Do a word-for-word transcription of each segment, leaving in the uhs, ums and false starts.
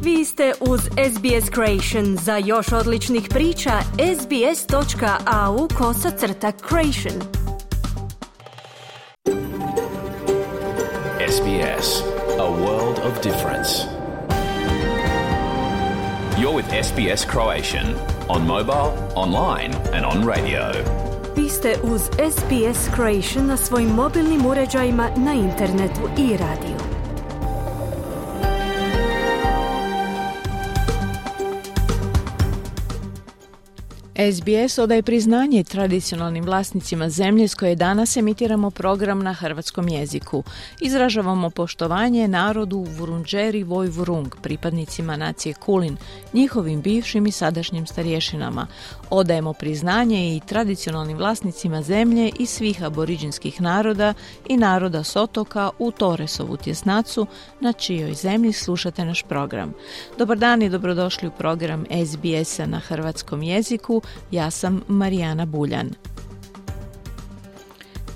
Vi ste uz S B S Creation. Za još odličnih priča, sbs.au kosacrta creation. S B S, a world of difference. You're with S B S Croatian on mobile, online and on radio. Vi ste uz S B S Croatian na svojim mobilnim uređajima, na internetu i radiju. S B S odaje priznanje tradicionalnim vlasnicima zemlje s koje danas emitiramo program na hrvatskom jeziku. Izražavamo poštovanje narodu Vurundjeri Vojvurung, pripadnicima nacije Kulin, njihovim bivšim i sadašnjim starješinama. Odajemo priznanje i tradicionalnim vlasnicima zemlje i svih aboriđinskih naroda i naroda s otoka u Torresovu tjesnacu, na čijoj zemlji slušate naš program. Dobar dan i dobrodošli u program S B S-a na hrvatskom jeziku. Ja sam Marijana Buljan.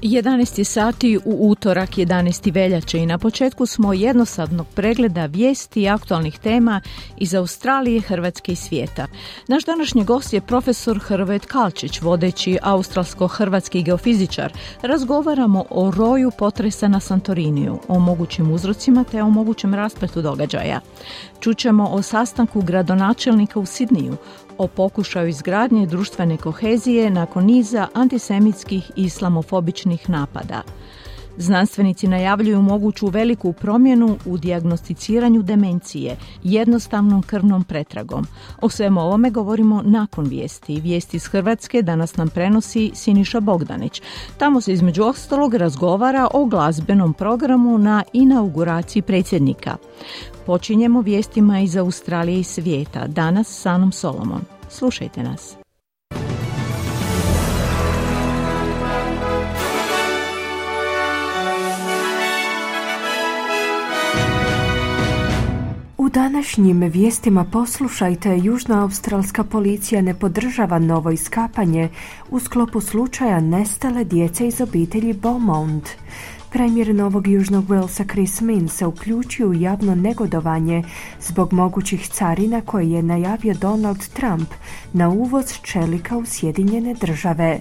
jedanaest sati u utorak jedanaesti veljače i na početku smo jednosadnog pregleda vijesti i aktualnih tema iz Australije, Hrvatske i svijeta. Naš današnji gost je profesor Hrvoje Tkalčić, vodeći australsko-hrvatski geofizičar. Razgovaramo o roju potresa na Santoriniju, o mogućim uzrocima te o mogućem raspletu događaja. Čućemo o sastanku gradonačelnika u Sidniju, o pokušaju izgradnje društvene kohezije nakon niza antisemitskih i islamofobičnih napada. Znanstvenici najavljuju moguću veliku promjenu u dijagnosticiranju demencije jednostavnom krvnom pretragom. O svemu ovome govorimo nakon vijesti. Vijesti iz Hrvatske danas nam prenosi Siniša Bogdanić. Tamo se između ostalog razgovara o glazbenom programu na inauguraciji predsjednika. Počinjemo vijestima iz Australije i svijeta. Danas s Anom Solomon. Slušajte nas. U današnjim vijestima poslušajte, južnoaustralska policija ne podržava novo iskapanje u sklopu slučaja nestale djece iz obitelji Beaumont. Premijer Novog Južnog Walesa Chris Minns se uključio u javno negodovanje zbog mogućih carina koje je najavio Donald Trump na uvoz čelika u Sjedinjene države.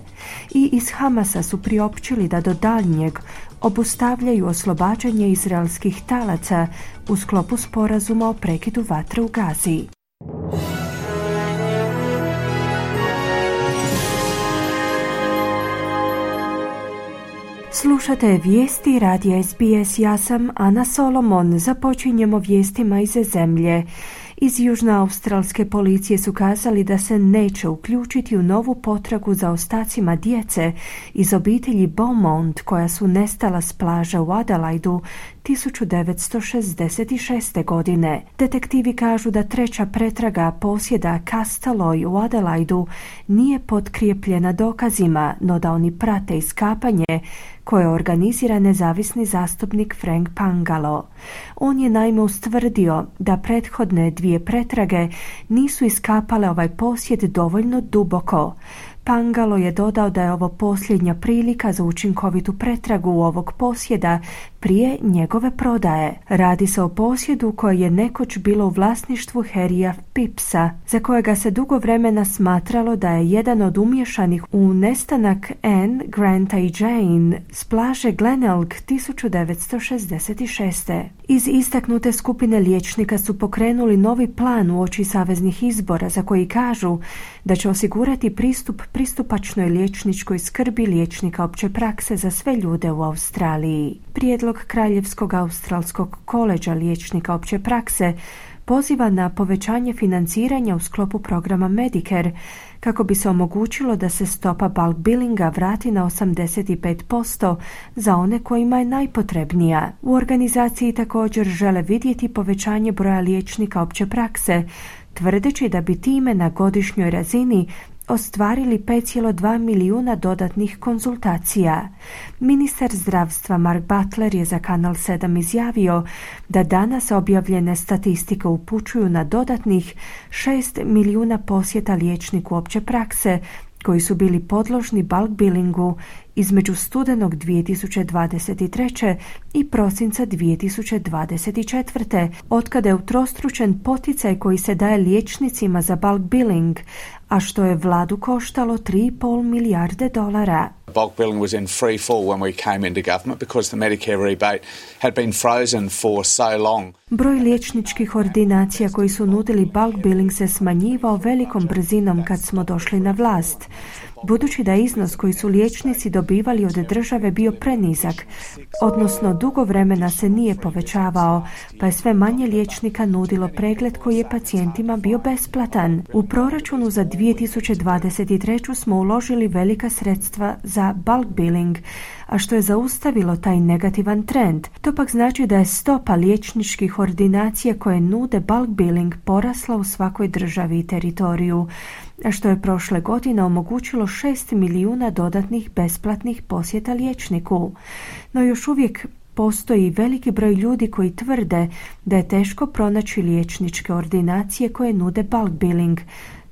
I iz Hamasa su priopćili da do daljnjeg obustavljaju oslobađanje izraelskih talaca u sklopu sporazuma o prekidu vatre u Gazi. Slušate vijesti radija S B S, ja sam Ana Solomon. Započinjemo vijestima iz zemlje. Iz južnoaustralske policije su kazali da se neće uključiti u novu potragu za ostacima djece iz obitelji Beaumont koja su nestala s plaža u Adelaidu tisuću devetsto šezdeset šeste. godine. Detektivi kažu da treća pretraga posjeda Castleloy u Adelaidu nije potkrijepljena dokazima, no da oni prate iskapanje koje organizira nezavisni zastupnik Frank Pangalo. On je naime ustvrdio da prethodne dvije pretrage nisu iskapale ovaj posjed dovoljno duboko. Pangalo je dodao da je ovo posljednja prilika za učinkovitu pretragu ovog posjeda prije njegove prodaje. Radi se o posjedu koje je nekoć bilo u vlasništvu Harrya Phippsa, za kojega se dugo vremena smatralo da je jedan od umješanih u nestanak Anne, Granta i Jane s plaže Glenelg tisuću devetsto šezdeset šeste. Iz istaknute skupine liječnika su pokrenuli novi plan uoči saveznih izbora za koji kažu da će osigurati pristup pristupačnoj liječničkoj skrbi liječnika opće prakse za sve ljude u Australiji. Prijedlog Kraljevskog australskog koleđa liječnika opće prakse poziva na povećanje financiranja u sklopu programa Medicare kako bi se omogućilo da se stopa bulk billinga vrati na osamdeset pet posto za one kojima je najpotrebnija. U organizaciji također žele vidjeti povećanje broja liječnika opće prakse, tvrdeći da bi time na godišnjoj razini ostvarili pet zarez dva milijuna dodatnih konzultacija. Ministar zdravstva Mark Butler je za Kanal sedam izjavio da danas objavljene statistike upućuju na dodatnih šest milijuna posjeta liječniku opće prakse koji su bili podložni bulk billingu između studenog dvije tisuće dvadeset treće i prosinca dvije tisuće dvadeset četvrte, otkada je utrostručen poticaj koji se daje liječnicima za bulk billing, a što je vladu koštalo tri i pol milijarde dolara. Bulk billing was in free fall when we came into government because the Medicare rebate had been frozen for so long. Broj liječničkih ordinacija koji su nudili bulk billing se smanjivao velikom brzinom kad smo došli na vlast. Budući da iznos koji su liječnici dobivali od države bio prenizak, odnosno dugo vremena se nije povećavao, pa je sve manje liječnika nudilo pregled koji je pacijentima bio besplatan. U proračunu za dvije tisuće dvadeset treću smo uložili velika sredstva za bulk billing, a što je zaustavilo taj negativan trend. To pak znači da je stopa liječničkih ordinacija koje nude bulk billing porasla u svakoj državi i teritoriju, a što je prošle godine omogućilo šest milijuna dodatnih besplatnih posjeta liječniku. No još uvijek postoji veliki broj ljudi koji tvrde da je teško pronaći liječničke ordinacije koje nude bulk billing.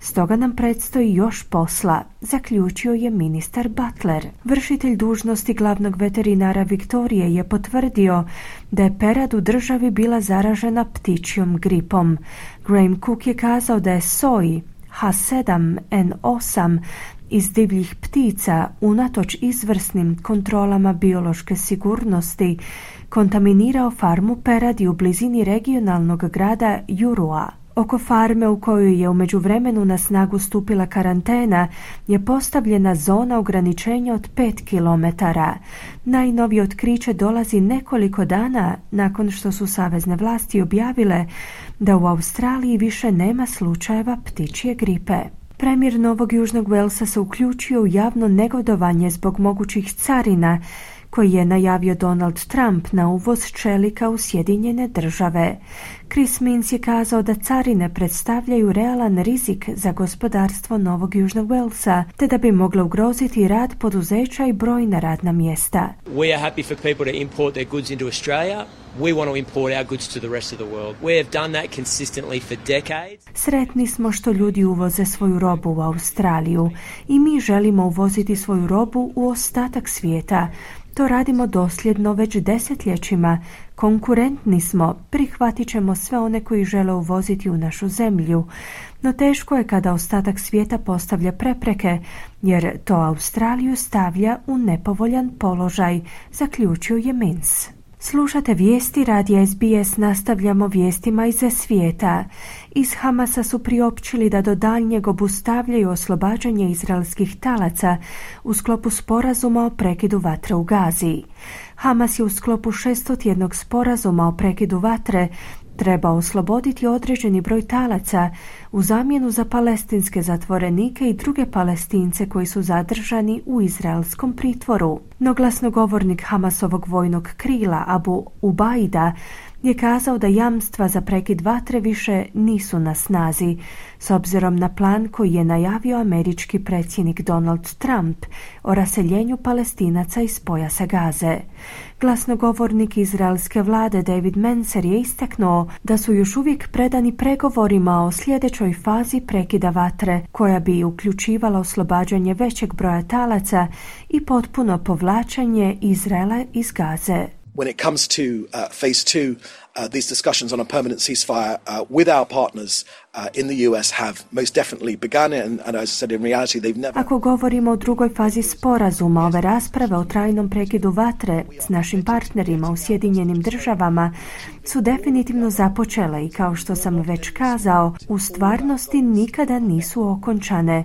Stoga nam predstoji još posla, zaključio je ministar Butler. Vršitelj dužnosti glavnog veterinara Viktorije je potvrdio da je perad u državi bila zaražena ptičjom gripom. Graham Cook je kazao da je soj H sedam N osam iz divljih ptica, unatoč izvrsnim kontrolama biološke sigurnosti, kontaminirao farmu peradi u blizini regionalnog grada Jurua. Oko farme u kojoj je u međuvremenu na snagu stupila karantena je postavljena zona ograničenja od pet kilometara. Najnovije otkriće dolazi nekoliko dana nakon što su savezne vlasti objavile da u Australiji više nema slučajeva ptičje gripe. Premijer Novog Južnog Walesa se uključio u javno negodovanje zbog mogućih carina koji je najavio Donald Trump na uvoz čelika u Sjedinjene države. Chris Minns je kazao da carine predstavljaju realan rizik za gospodarstvo Novog Južnog Walesa, te da bi mogle ugroziti rad poduzeća i brojna radna mjesta. We are happy for people to import their goods into Australia. We want to import our goods to the rest of the world. We have done that consistently for decades. Sretni smo što ljudi uvoze svoju robu u Australiju i mi želimo uvoziti svoju robu u ostatak svijeta. To radimo dosljedno već desetljećima. Konkurentni smo, prihvatit ćemo sve one koji žele uvoziti u našu zemlju. No teško je kada ostatak svijeta postavlja prepreke, jer to Australiju stavlja u nepovoljan položaj, zaključio je Minns. Slušate vijesti radija S B S, nastavljamo vijestima iz svijeta. Iz Hamasa su priopćili da do daljnjeg obustavljaju oslobađanje izraelskih talaca u sklopu sporazuma o prekidu vatre u Gazi. Hamas je u sklopu šestotjednog sporazuma o prekidu vatre treba osloboditi određeni broj talaca u zamjenu za palestinske zatvorenike i druge Palestince koji su zadržani u izraelskom pritvoru. No glasnogovornik Hamasovog vojnog krila Abu Ubaida je kazao da jamstva za prekid vatre više nisu na snazi, s obzirom na plan koji je najavio američki predsjednik Donald Trump o raseljenju Palestinaca iz pojasa Gaze. Glasnogovornik izraelske vlade David Mencer je istaknuo da su još uvijek predani pregovorima o sljedećoj fazi prekida vatre, koja bi uključivala oslobađanje većeg broja talaca i potpuno povlačenje Izraela iz Gaze. When it comes to uh, phase two, uh, these discussions on a permanent ceasefire uh, with our partners uh, in the U S have most definitely begun, and, and as I said, in reality they've never... Ako govorimo o drugoj fazi sporazuma, ove rasprave o trajnom prekidu vatre s našim partnerima u Sjedinjenim državama su definitivno započele i, kao što sam već kazao, u stvarnosti nikada nisu okončane.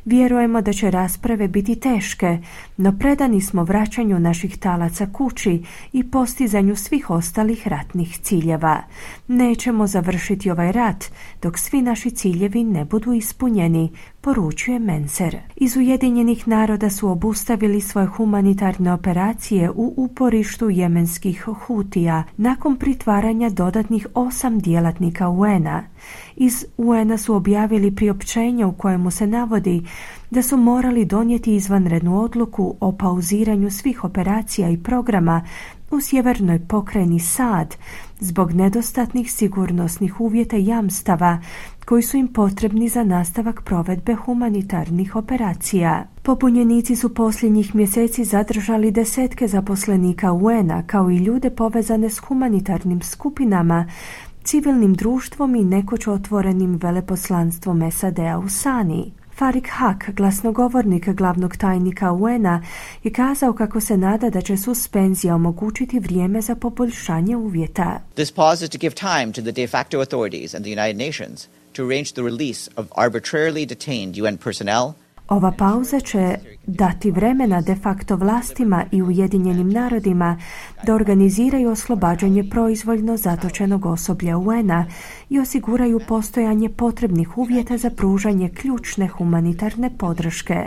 Vjerujemo da će rasprave biti teške, no predani smo vraćanju naših talaca kući i postizanju svih ostalih ratnih ciljeva. Nećemo završiti ovaj rat dok svi naši ciljevi ne budu ispunjeni, poručuje Mencer. Iz Ujedinjenih naroda su obustavili svoje humanitarne operacije u uporištu jemenskih Hutija nakon pritvaranja dodatnih osam djelatnika U N-a. Iz U N-a su objavili priopćenje u kojemu se navodi da su morali donijeti izvanrednu odluku o pauziranju svih operacija i programa u sjevernoj pokrajini Sad zbog nedostatnih sigurnosnih uvjeta i jamstava koji su im potrebni za nastavak provedbe humanitarnih operacija. Pobunjenici su posljednjih mjeseci zadržali desetke zaposlenika U N a kao i ljude povezane s humanitarnim skupinama, civilnim društvom i nekoć otvorenim veleposlanstvom S A D-a u Sani. Farik Haq, glasnogovornik glavnog tajnika U N a, je kazao kako se nada da će suspenzija omogućiti vrijeme za poboljšanje uvjeta. This pause is to give time to the de facto authorities and the United Nations to arrange the release of arbitrarily detained U N personnel. Ova pauza će dati vremena de facto vlastima i Ujedinjenim narodima da organiziraju oslobađanje proizvoljno zatočenog osoblja U N a i osiguraju postojanje potrebnih uvjeta za pružanje ključne humanitarne podrške.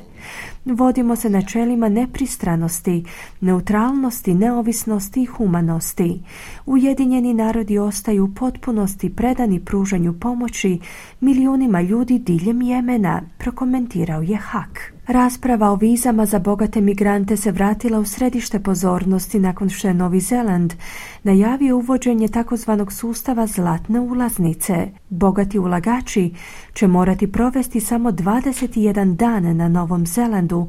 Vodimo se načelima nepristranosti, neutralnosti, neovisnosti i humanosti. Ujedinjeni narodi ostaju u potpunosti predani pružanju pomoći milijunima ljudi diljem Jemena, prokomentirao je Haq. Rasprava o vizama za bogate migrante se vratila u središte pozornosti nakon što je Novi Zeland najavio uvođenje takozvanog sustava zlatne ulaznice. Bogati ulagači će morati provesti samo dvadeset jedan dan na Novom Zelandu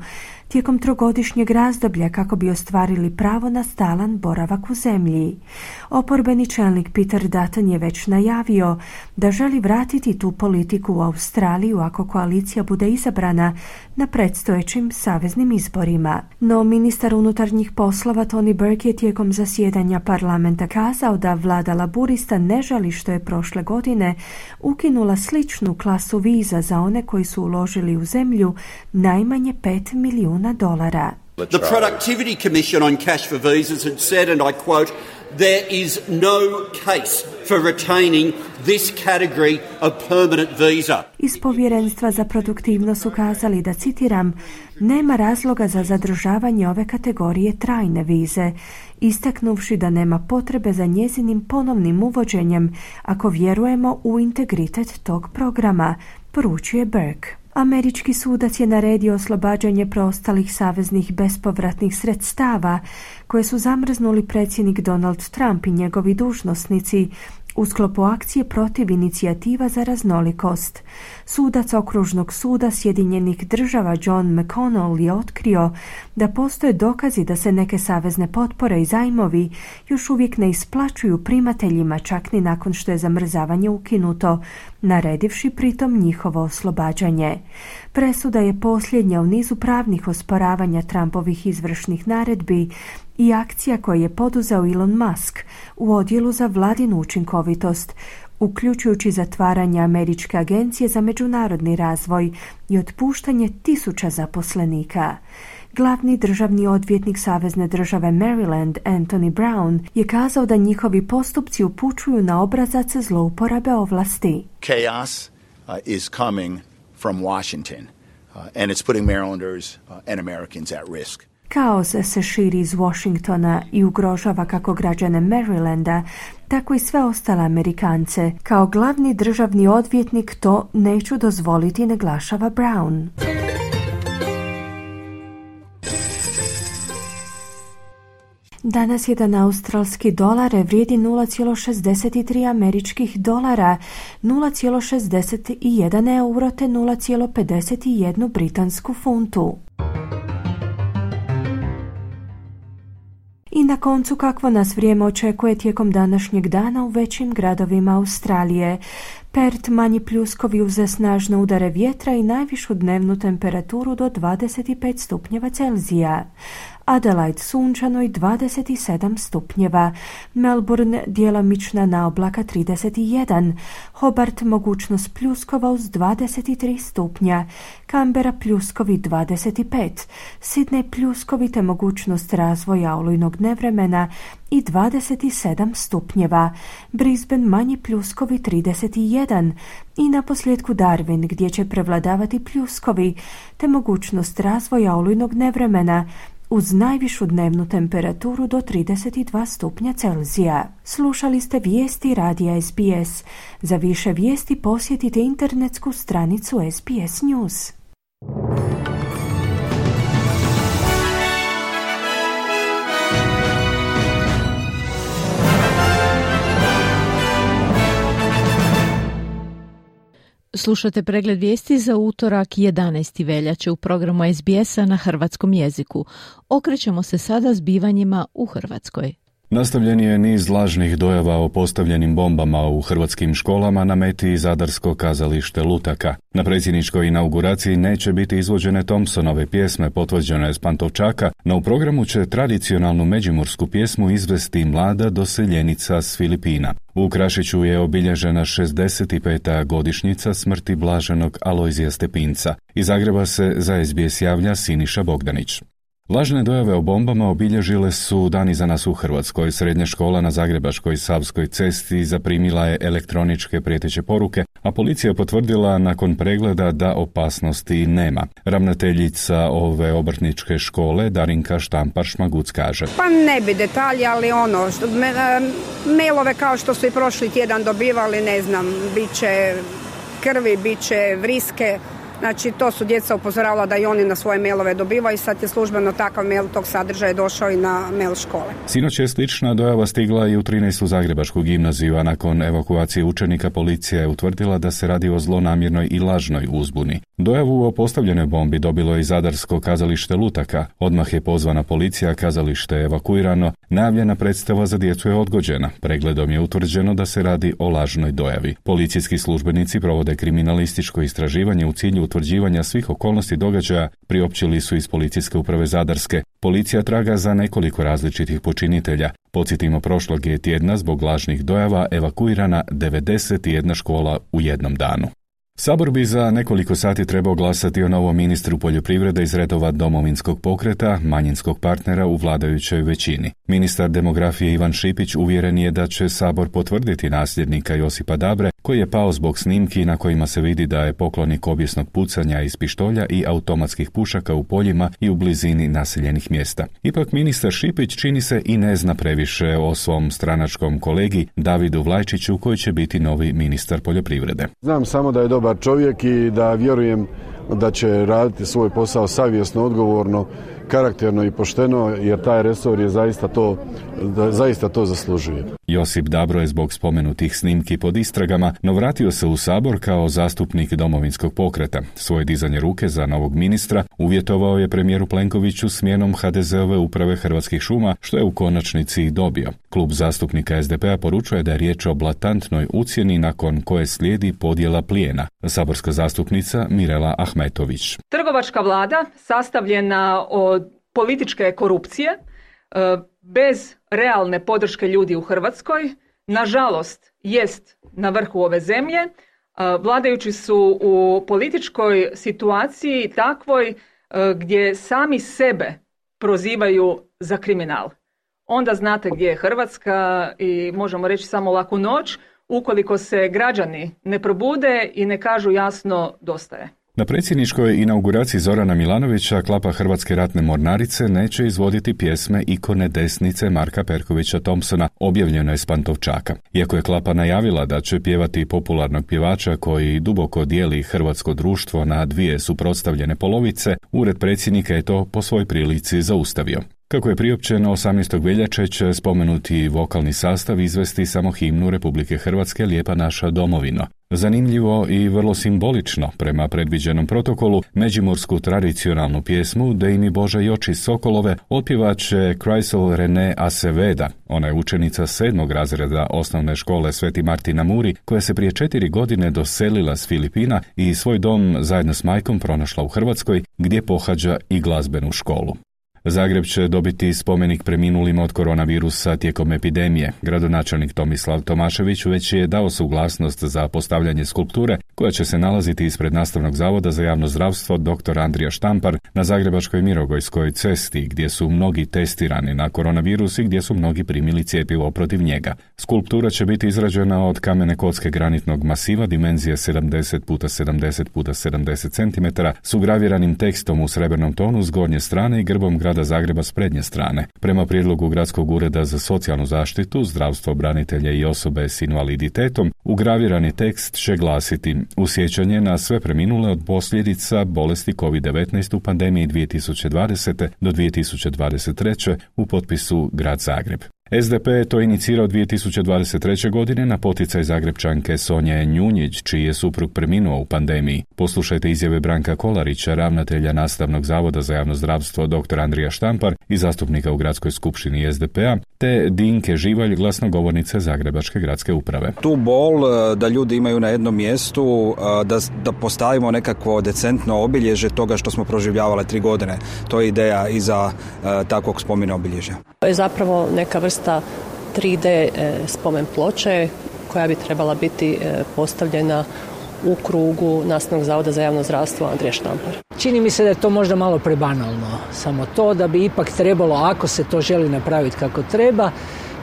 tijekom trogodišnjeg razdoblja kako bi ostvarili pravo na stalan boravak u zemlji. Oporbeni čelnik Peter Dutton je već najavio da želi vratiti tu politiku u Australiju ako koalicija bude izabrana na predstojećim saveznim izborima. No ministar unutarnjih poslova Tony Burke je tijekom zasjedanja parlamenta kazao da vlada laburista ne žali što je prošle godine ukinula sličnu klasu viza za one koji su uložili u zemlju najmanje pet milijuna dolara. The Productivity Commission on Cash for Visas had said, and I quote, there is no case for retaining this category of permanent visa. Iz povjerenstva za produktivnost su kazali da, citiram, nema razloga za zadržavanje ove kategorije trajne vize, istaknuvši da nema potrebe za njezinim ponovnim uvođenjem ako vjerujemo u integritet tog programa, poručuje Burke. Američki sudac je naredio oslobađanje preostalih saveznih bespovratnih sredstava koje su zamrznuli predsjednik Donald Trump i njegovi dužnosnici u sklopu akcije protiv inicijativa za raznolikost. Sudac okružnog suda Sjedinjenih država John McConnell je otkrio da postoje dokazi da se neke savezne potpore i zajmovi još uvijek ne isplaćuju primateljima čak ni nakon što je zamrzavanje ukinuto, naredivši pritom njihovo oslobađanje. Presuda je posljednja u nizu pravnih osporavanja Trumpovih izvršnih naredbi i akcija koje je poduzeo Elon Musk u odjelu za vladinu učinkovitost, uključujući zatvaranje Američke agencije za međunarodni razvoj i otpuštanje tisuća zaposlenika. Glavni državni odvjetnik Savezne države Maryland, Anthony Brown, je kazao da njihovi postupci upućuju na obrazac zlouporabe ovlasti. Chaos uh, is coming from Washington, uh, and it's putting Marylanders uh, and Americans at risk. Kaos se širi iz Washingtona i ugrožava kako građane Marylanda, tako i sve ostale Amerikance. Kao glavni državni odvjetnik to neću dozvoliti, naglašava Brown. Danas jedan australski dolar vrijedi nula zarez šezdeset tri američkih dolara, nula zarez šezdeset jedan euro te nula zarez pedeset jedan britansku funtu. I na koncu kakvo nas vrijeme očekuje tijekom današnjeg dana u većim gradovima Australije. Perth manji pljuskovi uz snažne udare vjetra i najvišu dnevnu temperaturu do dvadeset pet stupnjeva Celzija. Adelaide sunčano i dvadeset sedam stupnjeva, Melbourne djelomična naoblaka trideset jedan, Hobart mogućnost pljuskova uz dvadeset tri stupnja, Canberra pljuskovi dvadeset pet, Sydney pljuskovi te mogućnost razvoja olujnog nevremena i dvadeset sedam stupnjeva, Brisbane manji pljuskovi trideset jedan i naposljetku Darwin gdje će prevladavati pljuskovi te mogućnost razvoja olujnog nevremena uz najvišu dnevnu temperaturu do trideset dva stupnja Celzija. Slušali ste vijesti radija S B S. Za više vijesti posjetite internetsku stranicu S B S News. Slušate pregled vijesti za utorak jedanaesti veljače u programu S B S-a na hrvatskom jeziku. Okrećemo se sada zbivanjima u Hrvatskoj. Nastavljen je niz lažnih dojava o postavljenim bombama u hrvatskim školama na meti zadarsko kazalište Lutaka. Na predsjedničkoj inauguraciji neće biti izvođene Thompsonove pjesme potvrđene s Pantovčaka, no u programu će tradicionalnu međimursku pjesmu izvesti mlada doseljenica s Filipina. U Krašiću je obilježena šezdeset peta godišnjica smrti blaženog Alojzija Stepinca. Iz Zagreba se za S B S javlja Siniša Bogdanić. Lažne dojave o bombama obilježile su dan iza nas u Hrvatskoj. Srednja škola na Zagrebačkoj Savskoj cesti zaprimila je elektroničke prijeteće poruke, a policija je potvrdila nakon pregleda da opasnosti nema. Ravnateljica ove obrtničke škole Darinka Štampar-Šmaguc kaže: Pa ne bi detalji, ali ono, što, me, mailove kao što su i prošli tjedan dobivali, ne znam, bit će krvi, bit će vriske. Znači, to su djeca upozoravala da i oni na svoje mailove dobivaju i sad je službeno takav mail tog sadržaja došao i na mail škole. Sinoć je slična dojava stigla i u trinaestu Zagrebačku gimnaziju, a nakon evakuacije učenika policija je utvrdila da se radi o zlonamjernoj i lažnoj uzbuni. Dojavu o postavljenoj bombi dobilo je i zadarsko kazalište Lutaka. Odmah je pozvana policija, kazalište je evakuirano, najavljena predstava za djecu je odgođena. Pregledom je utvrđeno da se radi o lažnoj dojavi. Policijski službenici provode kriminalističko istraživanje u cilju utvrđivanja svih okolnosti događaja, priopćili su iz Policijske uprave Zadarske. Policija traga za nekoliko različitih počinitelja. Podsjetimo, prošlog je tjedna zbog lažnih dojava evakuirana devedeset jedna škola u jednom danu. Sabor bi za nekoliko sati trebao glasati o novom ministru poljoprivrede iz redova Domovinskog pokreta, manjinskog partnera u vladajućoj većini. Ministar demografije Ivan Šipić uvjeren je da će Sabor potvrditi nasljednika Josipa Dabre, koji je pao zbog snimki na kojima se vidi da je poklonik obijesnog pucanja iz pištolja i automatskih pušaka u poljima i u blizini naseljenih mjesta. Ipak ministar Šipić čini se i ne zna previše o svom stranačkom kolegi Davidu Vlajčiću, koji će biti novi ministar poljoprivrede. Znam samo da je dobar čovjek i da vjerujem da će raditi svoj posao savjesno, odgovorno, karakterno i pošteno, jer taj resor je zaista to, da zaista to zaslužuje. Josip Dabro je zbog spomenutih snimki pod istragama, no vratio se u Sabor kao zastupnik Domovinskog pokreta. Svoje dizanje ruke za novog ministra uvjetovao je premijeru Plenkoviću smjenom ha de zeove uprave Hrvatskih šuma, što je u konačnici i dobio. Klub zastupnika es de pe a poručuje da je riječ o blatantnoj ucjeni nakon koje slijedi podjela plijena. Saborska zastupnica Mirela Ahmetović. Trgovačka vlada sastavljena od političke korupcije, bez realne podrške ljudi u Hrvatskoj, nažalost jest na vrhu ove zemlje. Vladajući su u političkoj situaciji takvoj gdje sami sebe prozivaju za kriminal. Onda znate gdje je Hrvatska i možemo reći samo laku noć ukoliko se građani ne probude i ne kažu jasno dosta je. Na predsjedničkoj inauguraciji Zorana Milanovića klapa Hrvatske ratne mornarice neće izvoditi pjesme ikone desnice Marka Perkovića Thompsona, objavljeno je s Pantovčaka. Iako je klapa najavila da će pjevati popularnog pjevača koji duboko dijeli hrvatsko društvo na dvije suprotstavljene polovice, ured predsjednika je to po svoj prilici zaustavio. Kako je priopćeno, osamnaestog veljače će spomenuti vokalni sastav izvesti samo himnu Republike Hrvatske Lijepa naša domovino. Zanimljivo i vrlo simbolično, prema predviđenom protokolu, međimursku tradicionalnu pjesmu Dej mi Bože i oči Sokolove otpjevat će Chrysel René Aceveda. Ona je učenica sedmog razreda osnovne škole Sveti Martin na Muri, koja se prije četiri godine doselila s Filipina i svoj dom zajedno s majkom pronašla u Hrvatskoj, gdje pohađa i glazbenu školu. Zagreb će dobiti spomenik preminulima od koronavirusa tijekom epidemije. Gradonačelnik Tomislav Tomašević već je dao suglasnost za postavljanje skulpture koja će se nalaziti ispred Nastavnog zavoda za javno zdravstvo doktor Andrija Štampar na Zagrebačkoj Mirogojskoj cesti, gdje su mnogi testirani na koronavirus i gdje su mnogi primili cjepivo protiv njega. Skulptura će biti izrađena od kamene kocke granitnog masiva dimenzije sedamdeset puta sedamdeset puta sedamdeset centimetara s ugraviranim tekstom u srebrnom tonu s gornje strane i grbom grada Zagreba s prednje strane. Prema prijedlogu Gradskog ureda za socijalnu zaštitu, zdravstvo, branitelje i osobe s invaliditetom, ugravirani tekst će glasiti: u sjećanje na sve preminule od posljedica bolesti kovid devetnaest u pandemiji dvije tisuće dvadesete do dvije tisuće dvadeset treće u potpisu Grad Zagreb. S D P je to inicirao dvije tisuće dvadeset treće. godine na poticaj Zagrebčanke Sonje Njunjić, čiji je suprug preminuo u pandemiji. Poslušajte izjave Branka Kolarića, ravnatelja Nastavnog zavoda za javno zdravstvo dr. Andrija Štampar i zastupnika u Gradskoj skupštini S D P-a, te Dinke Živalj, glasnogovornice Zagrebačke gradske uprave. Tu bol da ljudi imaju na jednom mjestu, da, da postavimo nekakvo decentno obilježje toga što smo proživljavali tri godine. To je ideja iza uh, takvog spomena obilježja. To je zapravo neka vrsta tri D spomen ploče koja bi trebala biti postavljena u krugu Nastavnog zavoda za javno zdravstvo Andrija Štampar. Čini mi se da je to možda malo prebanalno. Samo to da bi ipak trebalo, ako se to želi napraviti kako treba,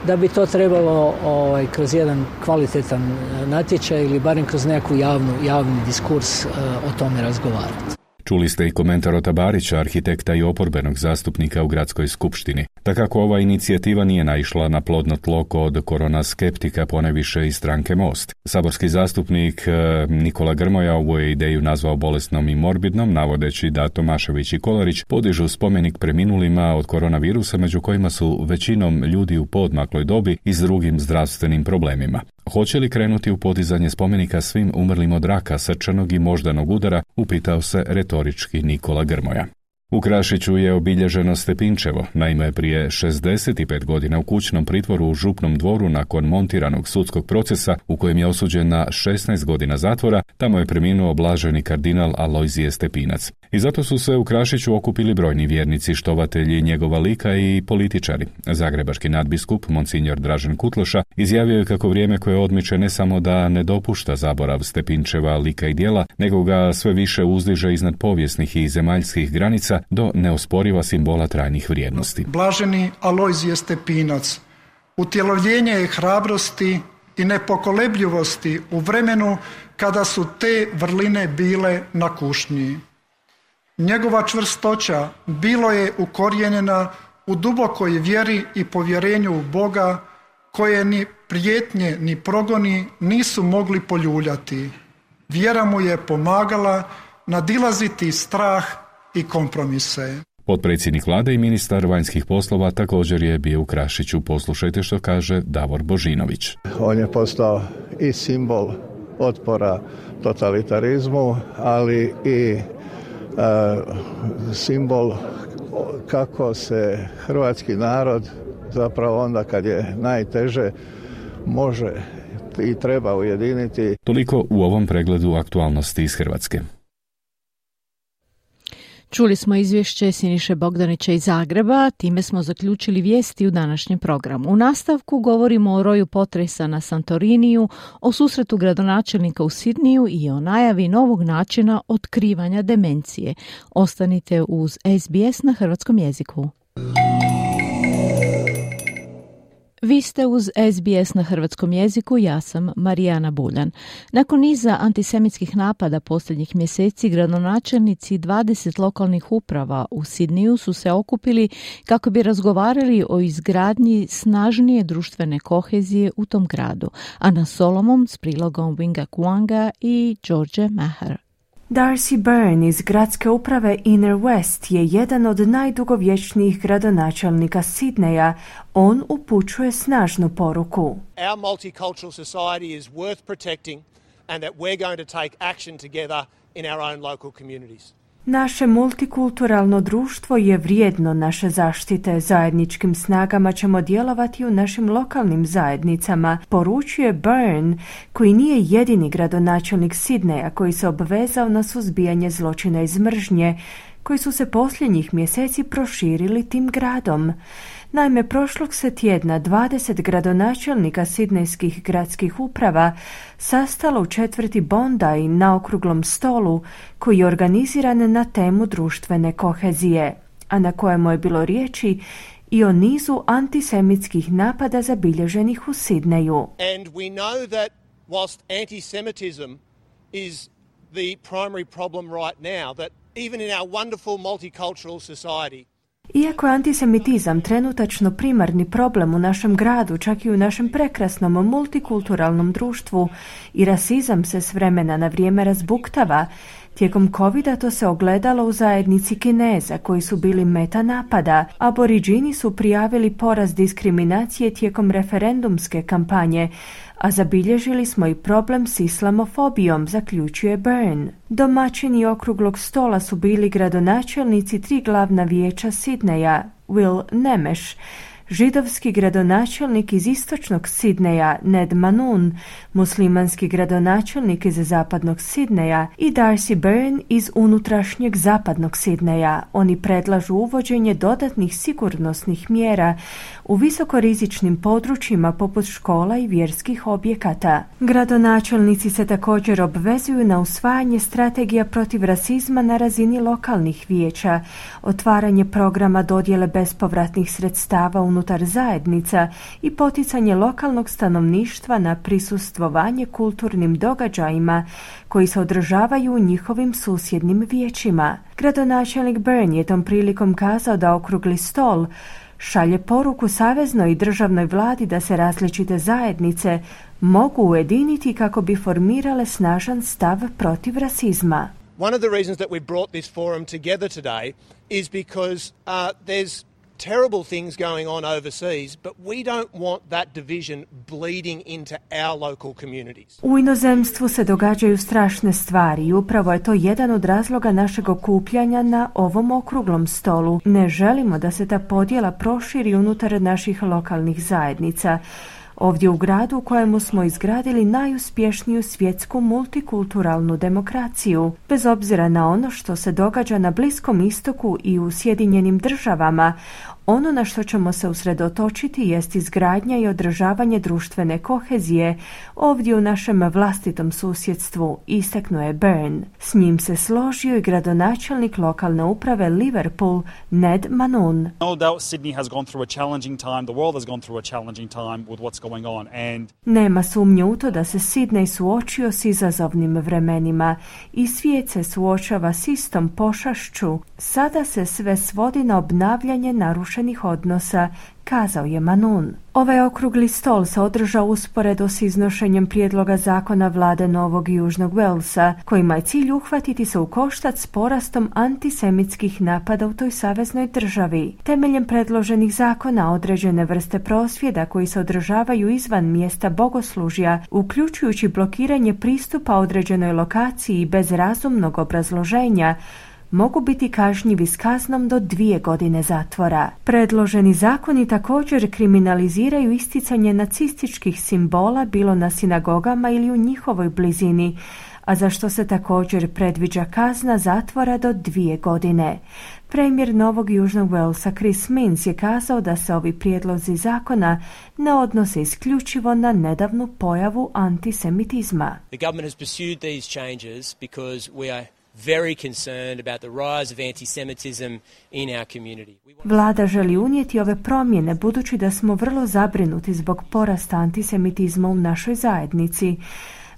da bi to trebalo ovaj, kroz jedan kvalitetan natječaj ili barem kroz nekakvu javnu, javni diskurs o tome razgovarati. Čuli ste i komentar Ota Barića, arhitekta i oporbenog zastupnika u Gradskoj skupštini. Takako ova inicijativa nije naišla na plodno tlo kod korona skeptika, ponajviše iz stranke Most. Saborski zastupnik Nikola Grmoja ovu je ideju nazvao bolesnom i morbidnom, navodeći da Tomašević i Kolarić podižu spomenik preminulima od koronavirusa, među kojima su većinom ljudi u poodmakloj dobi i s drugim zdravstvenim problemima. Hoće li krenuti u podizanje spomenika svim umrlim od raka, srčanog i moždanog udara, upitao se retorički Nikola Grmoja. U Krašiću je obilježeno Stepinčevo. Naime, prije šezdeset pet godina u kućnom pritvoru u Župnom dvoru nakon montiranog sudskog procesa u kojem je osuđen na šesnaest godina zatvora, tamo je preminuo blaženi kardinal Alojzije Stepinac. I zato su se u Krašiću okupili brojni vjernici, štovatelji njegova lika i političari. Zagrebački nadbiskup, monsinjor Dražen Kutloša, izjavio je kako vrijeme koje odmiče ne samo da ne dopušta zaborav Stepinčeva lika i djela, nego ga sve više uzdiže iznad povijesnih i zemaljskih granica do neosporiva simbola trajnih vrijednosti. Blaženi Alojzije Stepinac, utjelovljenje je hrabrosti i nepokolebljivosti u vremenu kada su te vrline bile na kušnji. Njegova čvrstoća bilo je ukorijenjena u dubokoj vjeri i povjerenju u Boga, koje ni prijetnje ni progoni nisu mogli poljuljati. Vjera mu je pomagala nadilaziti strah i kompromise. Potpredsjednik vlade i ministar vanjskih poslova također je bio u Krašiću. Poslušajte što kaže Davor Božinović. On je postao i simbol otpora totalitarizmu, ali i e, simbol kako se hrvatski narod zapravo onda kad je najteže može i treba ujediniti. Toliko u ovom pregledu aktualnosti iz Hrvatske. Čuli smo izvješće Siniše Bogdanića iz Zagreba, time smo zaključili vijesti u današnjem programu. U nastavku govorimo o roju potresa na Santoriniju, o susretu gradonačelnika u Sidniju i o najavi novog načina otkrivanja demencije. Ostanite uz S B S na hrvatskom jeziku. Vi ste uz S B S na hrvatskom jeziku, ja sam Marijana Buljan. Nakon niza antisemitskih napada posljednjih mjeseci, gradonačelnici dvadeset lokalnih uprava u Sidniju su se okupili kako bi razgovarali o izgradnji snažnije društvene kohezije u tom gradu. Ana Solomon s prilogom Winga Kuanga i George Maher. Darcy Byrne iz gradske uprave Inner West je jedan od najdugovječnijih gradonačelnika Sidneja. On upućuje snažnu poruku. Our multicultural society is worth protecting and that we're going to take action together in our own local communities. Naše multikulturalno društvo je vrijedno naše zaštite. Zajedničkim snagama ćemo djelovati u našim lokalnim zajednicama, poručuje Byrne, koji nije jedini gradonačelnik Sidneja koji se obvezao na suzbijanje zločina iz mržnje, koji su se posljednjih mjeseci proširili tim gradom. Naime, prošlog se tjedna dvadeset gradonačelnika sidnejskih gradskih uprava sastalo u četvrti Bondi na okruglom stolu koji je organiziran na temu društvene kohezije, a na kojemu je bilo riječi i o nizu antisemitskih napada zabilježenih u Sidneju. And we know that whilst antisemitism is the primary problem right now, that even in our wonderful multicultural society, iako je antisemitizam trenutačno primarni problem u našem gradu, čak i u našem prekrasnom multikulturalnom društvu, i rasizam se s vremena na vrijeme razbuktava, Tijekom covida to se ogledalo u zajednici Kineza koji su bili meta napada. Aboriđini su prijavili porast diskriminacije tijekom referendumske kampanje, a zabilježili smo i problem s islamofobijom, zaključuje Byrne. Domaćini okruglog stola su bili gradonačelnici tri glavna vijeća Sidneja, Will Nemeš, židovski gradonačelnik iz istočnog Sidneja Ned Manun, muslimanski gradonačelnik iz zapadnog Sidneja i Darcy Byrne iz unutrašnjeg zapadnog Sidneja. Oni predlažu uvođenje dodatnih sigurnosnih mjera u visokorizičnim područjima poput škola i vjerskih objekata. Gradonačelnici se također obvezuju na usvajanje strategija protiv rasizma na razini lokalnih vijeća, otvaranje programa dodjele bespovratnih sredstava unutar zajednica i poticanje lokalnog stanovništva na prisustvovanje kulturnim događajima koji se održavaju u njihovim susjednim vijećima. Gradonačelnik Byrne je tom prilikom kazao da okrugli stol šalje poruku saveznoj i državnoj vladi da se različite zajednice mogu ujediniti kako bi formirale snažan stav protiv rasizma. One of the reasons that we brought this forum together today is because uh, there's terrible things going on overseas, but we don't want that division bleeding into our local communities. U inozemstvu se događaju strašne stvari i upravo je to jedan od razloga našeg okupljanja na ovom okruglom stolu. Ne želimo da se ta podjela proširi unutar naših lokalnih zajednica. Ovdje u gradu u kojemu smo izgradili najuspješniju svjetsku multikulturalnu demokraciju. Bez obzira na ono što se događa na Bliskom istoku i u Sjedinjenim državama, ono na što ćemo se usredotočiti jest izgradnja i održavanje društvene kohezije ovdje u našem vlastitom susjedstvu, istaknuo je Byrne. S njim se složio i gradonačelnik lokalne uprave Liverpool, Ned Manun. No doubt Sydney has gone through a challenging time, the world has gone through a challenging time with what's going on. And Nema sumnje u to da se Sidney suočio s izazovnim vremenima i svijet se suočava s istom pošašću. Sada se sve svodi na obnavljanje narušenih odnosa, kazao je Manun. Ovaj okrugli stol se održao usporedo s iznošenjem prijedloga zakona vlade Novog i Južnog Walesa, kojima je cilj uhvatiti se u koštac s porastom antisemitskih napada u toj saveznoj državi. Temeljem predloženih zakona određene vrste prosvjeda koji se održavaju izvan mjesta bogoslužja, uključujući blokiranje pristupa određenoj lokaciji bez razumnog obrazloženja, mogu biti kažnjivi s kaznom do dvije godine zatvora. Predloženi zakoni također kriminaliziraju isticanje nacističkih simbola bilo na sinagogama ili u njihovoj blizini, a za što se također predviđa kazna zatvora do dvije godine. Premijer Novog Južnog Walesa Chris Minns je kazao da se ovi prijedlozi zakona ne odnose isključivo na nedavnu pojavu antisemitizma. The government has pursued these changes because we are very concerned about the rise of anti-Semitism in our community. Vlada želi unijeti ove promjene budući da smo vrlo zabrinuti zbog porasta antisemitizma u našoj zajednici.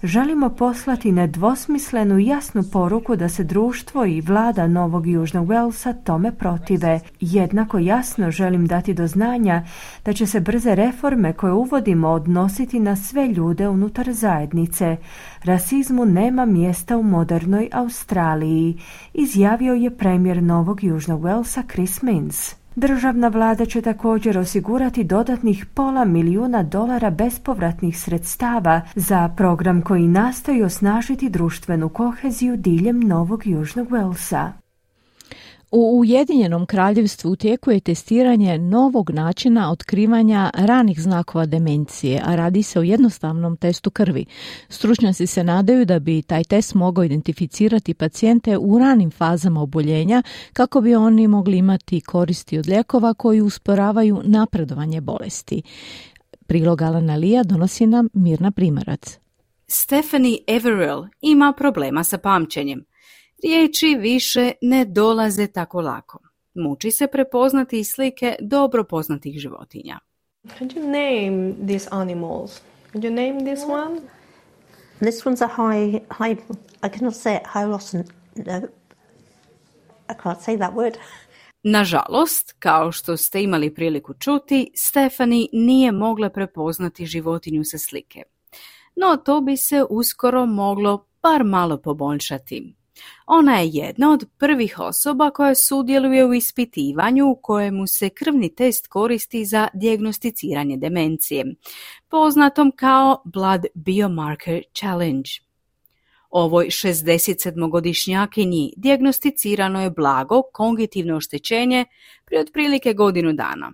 Želimo poslati nedvosmislenu i jasnu poruku da se društvo i vlada Novog Južnog Walesa tome protive. Jednako jasno želim dati do znanja da će se brze reforme koje uvodimo odnositi na sve ljude unutar zajednice. Rasizmu nema mjesta u modernoj Australiji, izjavio je premijer Novog Južnog Walesa Chris Minns. Državna vlada će također osigurati dodatnih pola milijuna dolara bespovratnih sredstava za program koji nastoji osnažiti društvenu koheziju diljem Novog Južnog Walesa. U Ujedinjenom kraljevstvu u tijeku je testiranje novog načina otkrivanja ranih znakova demencije, a radi se o jednostavnom testu krvi. Stručnjaci se nadaju da bi taj test mogao identificirati pacijente u ranim fazama oboljenja kako bi oni mogli imati koristi od lijekova koji usporavaju napredovanje bolesti. Prilog Alana Lija donosi nam Mirna Primarac. Stephanie Averill ima problema sa pamćenjem. Riječi više ne dolaze tako lako. Muči se prepoznati slike dobro poznatih životinja. Can you name these animals? Can you name this one? This one's a high, high, I cannot say it, Hylosin, no, I can't say that word. Nažalost, kao što ste imali priliku čuti, Stephanie nije mogla prepoznati životinju sa slike. No to bi se uskoro moglo bar malo poboljšati. Ona je jedna od prvih osoba koja sudjeluje u ispitivanju u kojemu se krvni test koristi za dijagnosticiranje demencije, poznatom kao Blood Biomarker Challenge. Ovoj šezdesetsedmogodišnjakinji dijagnosticirano je blago kognitivno oštećenje prije otprilike godinu dana.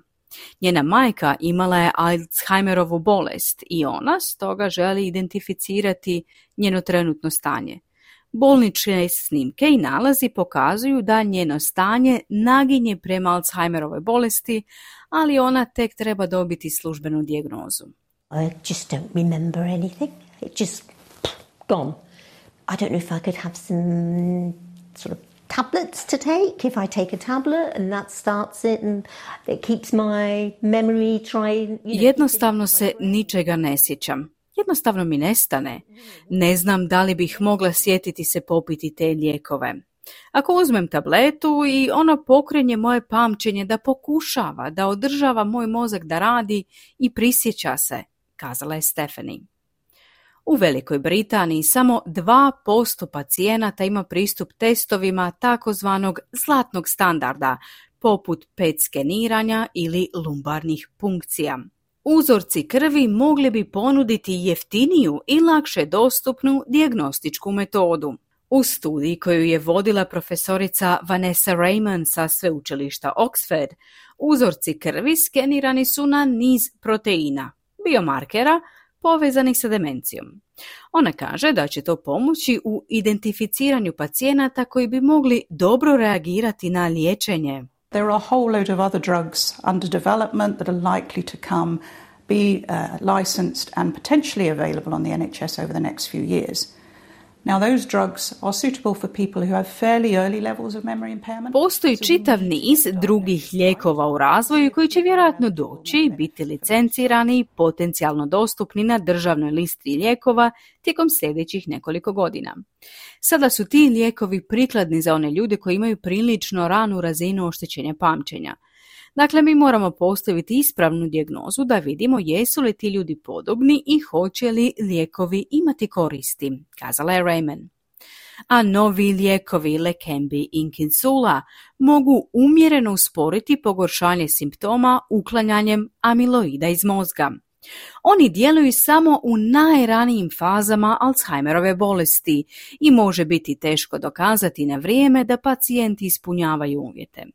Njena majka imala je Alzheimerovu bolest i ona stoga želi identificirati njeno trenutno stanje. Bolničke snimke i nalazi pokazuju da njeno stanje naginje prema Alzheimerovoj bolesti, ali ona tek treba dobiti službenu dijagnozu. I just don't remember anything. It just gone. I don't know if I could have some sort of tablets to take. If I take a tablet and that starts it and it keeps my memory trying. You know, Jednostavno se ničega ne sjećam. Jednostavno mi nestane. Ne znam da li bih mogla sjetiti se popiti te lijekove. Ako uzmem tabletu i ono pokrenje moje pamćenje da pokušava, da održava moj mozak da radi i prisjeća se, kazala je Stephanie. U Velikoj Britaniji samo dva posto pacijenata ima pristup testovima takozvanog zlatnog standarda, poput pet skeniranja ili lumbarnih punkcija. Uzorci krvi mogli bi ponuditi jeftiniju i lakše dostupnu dijagnostičku metodu. U studiji koju je vodila profesorica Vanessa Raymond sa sveučilišta Oxford, uzorci krvi skenirani su na niz proteina, biomarkera, povezanih sa demencijom. Ona kaže da će to pomoći u identificiranju pacijenata koji bi mogli dobro reagirati na liječenje. There are a whole load of other drugs under development that are likely to come, be uh, licensed and potentially available on the N H S over the next few years. Now those drugs are suitable for people who have fairly early levels of memory impairment. Postoji čitav niz drugih lijekova u razvoju koji će vjerojatno doći, biti licencirani i potencijalno dostupni na državnoj listi lijekova tijekom sljedećih nekoliko godina. Sada su ti lijekovi prikladni za one ljude koji imaju prilično ranu razinu oštećenja pamćenja. Dakle, mi moramo postaviti ispravnu dijagnozu da vidimo jesu li ti ljudi podobni i hoće li lijekovi imati koristi, kazala je Raymond. A novi lijekovi Leqembi i Kinsula mogu umjereno usporiti pogoršanje simptoma uklanjanjem amiloida iz mozga. Oni djeluju samo u najranijim fazama Alzheimerove bolesti i može biti teško dokazati na vrijeme da pacijenti ispunjavaju uvjete.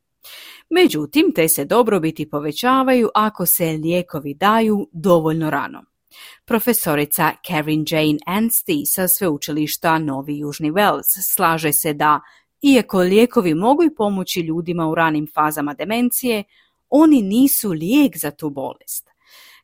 Međutim, te se dobrobiti povećavaju ako se lijekovi daju dovoljno rano. Profesorica Karen Jane Anstey sa sveučilišta Novi Južni Wales slaže se da, iako lijekovi mogu pomoći ljudima u ranim fazama demencije, oni nisu lijek za tu bolest.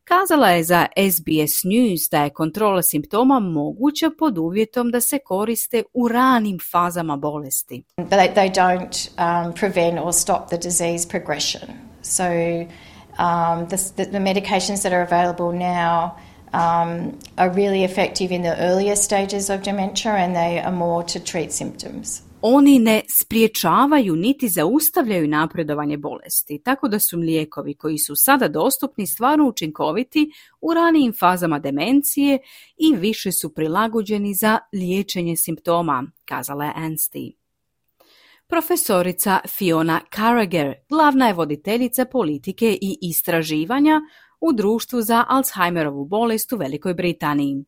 Kazala je za S B S News da je kontrola simptoma moguća pod uvjetom da se koriste u ranim fazama bolesti. They, they don't um, prevent or stop the disease progression. So um, the, the, the medications that are available now um, are really effective in the earlier stages of dementia and they are more to treat symptoms. Oni ne spriječavaju niti zaustavljaju napredovanje bolesti, tako da su lijekovi koji su sada dostupni stvarno učinkoviti u ranijim fazama demencije i više su prilagođeni za liječenje simptoma, kazala je Anstey. Profesorica Fiona Carragher, glavna je voditeljica politike i istraživanja u društvu za Alzheimerovu bolest u Velikoj Britaniji.